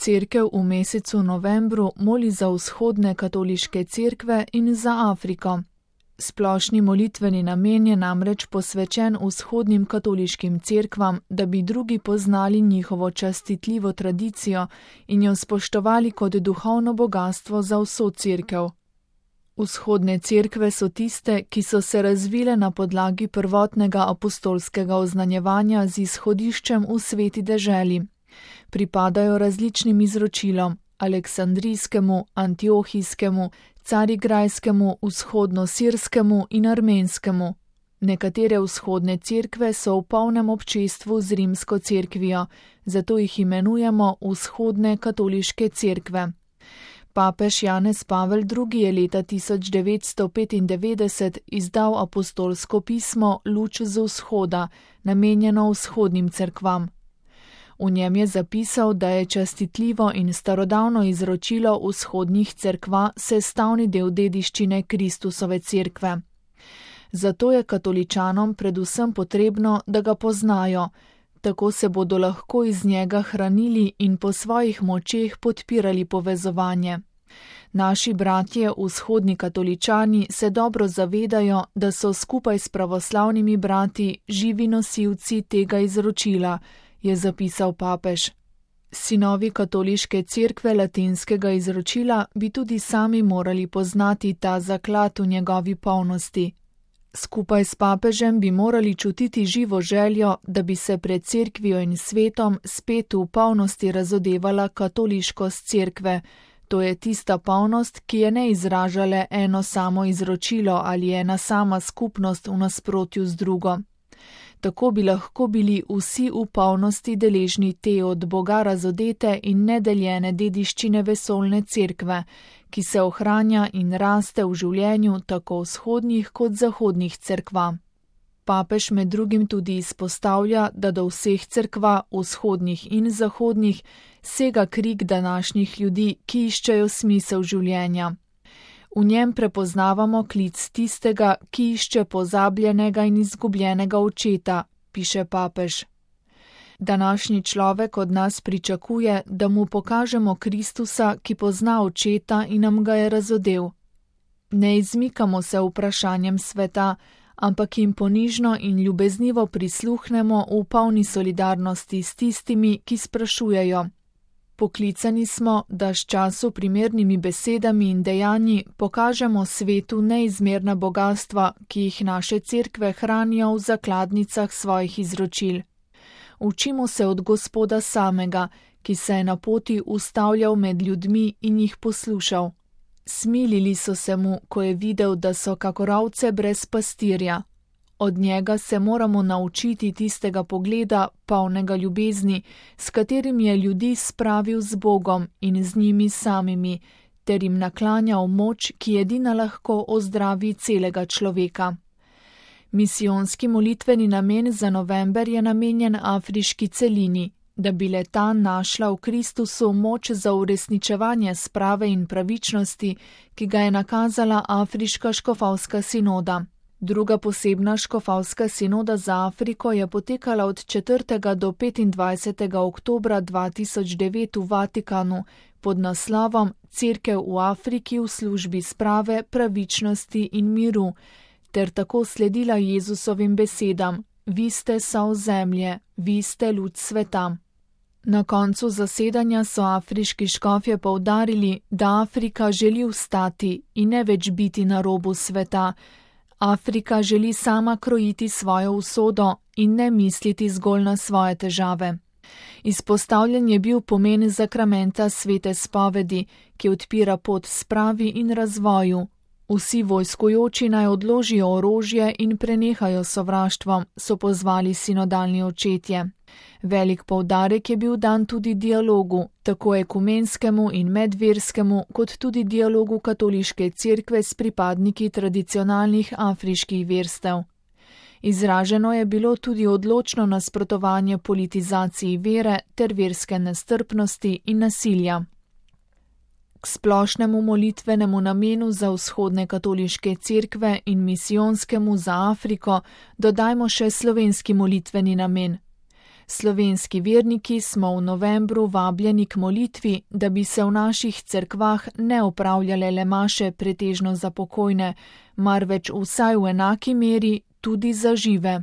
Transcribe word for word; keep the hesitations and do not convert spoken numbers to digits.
Cerkev v mesecu novembru moli za vzhodne katoliške cerkve in za Afriko. Splošni molitveni namen je namreč posvečen vzhodnim katoliškim cerkvam, da bi drugi poznali njihovo častitljivo tradicijo in jo spoštovali kot duhovno bogastvo za vso cerkev. Vzhodne cerkve so tiste, ki so se razvile na podlagi prvotnega apostolskega oznanjevanja z izhodiščem v sveti deželi. Pripadajo različnim izročilom, aleksandrijskemu, antiohijskemu, carigrajskemu, vzhodno-sirskemu in armenskemu. Nekatere vzhodne cerkve so v polnem občestvu z rimsko cerkvijo, zato jih imenujemo vzhodne katoliške cerkve. Papež Janez Pavel drugi. je leta tisoč devetsto petindevetdeset izdal apostolsko pismo Luč z vzhoda, namenjeno vzhodnim cerkvam. V njem je zapisal, da je častitljivo in starodavno izročilo vzhodnih cerkva sestavni del dediščine Kristusove cerkve. Zato je katoličanom predvsem potrebno, da ga poznajo, tako se bodo lahko iz njega hranili in po svojih močeh podpirali povezovanje. Naši bratje, vzhodni katoličani, se dobro zavedajo, da so skupaj s pravoslavnimi brati živi nosilci tega izročila, je zapisal papež. Sinovi katoliške cerkve latinskega izročila bi tudi sami morali poznati ta zaklad v njegovi polnosti. Skupaj s papežem bi morali čutiti živo željo, da bi se pred cerkvijo in svetom spet v polnosti razodevala katoliškost cerkve. To je tista polnost, ki je ne izražale eno samo izročilo ali ena sama skupnost v nasprotju z drugo. Tako bi lahko bili vsi v polnosti deležni te od Boga razodete in nedeljene dediščine vesoljne cerkve, ki se ohranja in raste v življenju tako vzhodnih kot zahodnih cerkva. Papež med drugim tudi izpostavlja, da do vseh cerkva, vzhodnih in zahodnih, sega krik današnjih ljudi, ki iščejo smisel življenja. V njem prepoznavamo klic tistega, ki išče pozabljenega in izgubljenega očeta, piše papež. Današnji človek od nas pričakuje, da mu pokažemo Kristusa, ki pozna očeta in nam ga je razodel. Ne izmikamo se vprašanjem sveta, ampak jim ponižno in ljubeznivo prisluhnemo v polni solidarnosti s tistimi, ki sprašujejo. Poklicani smo, da s času primernimi besedami in dejanji pokažemo svetu neizmerna bogastva, ki jih naše cerkve hranijo v zakladnicah svojih izročil. Učimo se od Gospoda samega, ki se je na poti ustavljal med ljudmi in jih poslušal. Smilili so se mu, ko je videl, da so kakor ovce brez pastirja. Od njega se moramo naučiti tistega pogleda, polnega ljubezni, s katerim je ljudi spravil z Bogom in z njimi samimi, ter jim naklanjal moč, ki edina lahko ozdravi celega človeka. Misijonski molitveni namen za november je namenjen afriški celini, da bi le-ta našla v Kristusu moč za uresničevanje sprave in pravičnosti, ki ga je nakazala Afriška škofovska sinoda. Druga posebna škofovska sinoda za Afriko je potekala od četrtega do petindvajsetega oktobra dva tisoč devet v Vatikanu pod naslovom Cerkev v Afriki v službi sprave, pravičnosti in miru, ter tako sledila Jezusovim besedam: Vi ste sol zemlje, vi ste luč sveta. Na koncu zasedanja so afriški škofje poudarili, da Afrika želi vstati in ne več biti na robu sveta. Afrika želi sama krojiti svojo usodo in ne misliti zgolj na svoje težave. Izpostavljen je bil pomen zakramenta svete spovedi, ki odpira pot spravi in razvoju. Vsi vojskujoči naj odložijo orožje in prenehajo sovraštvom, so pozvali sinodalni očetje. Velik poudarek je bil dan tudi dialogu, tako ekumenskemu in medverskemu, kot tudi dialogu katoliške cerkve s pripadniki tradicionalnih afriških verstev. Izraženo je bilo tudi odločno nasprotovanje politizaciji vere ter verske nestrpnosti in nasilja. K splošnemu molitvenemu namenu za vzhodne katoliške cerkve in misijonskemu za Afriko dodajmo še slovenski molitveni namen. Slovenski verniki smo v novembru vabljeni k molitvi, da bi se v naših cerkvah ne opravljale le maše pretežno za pokojne, marveč vsaj v enaki meri tudi za žive.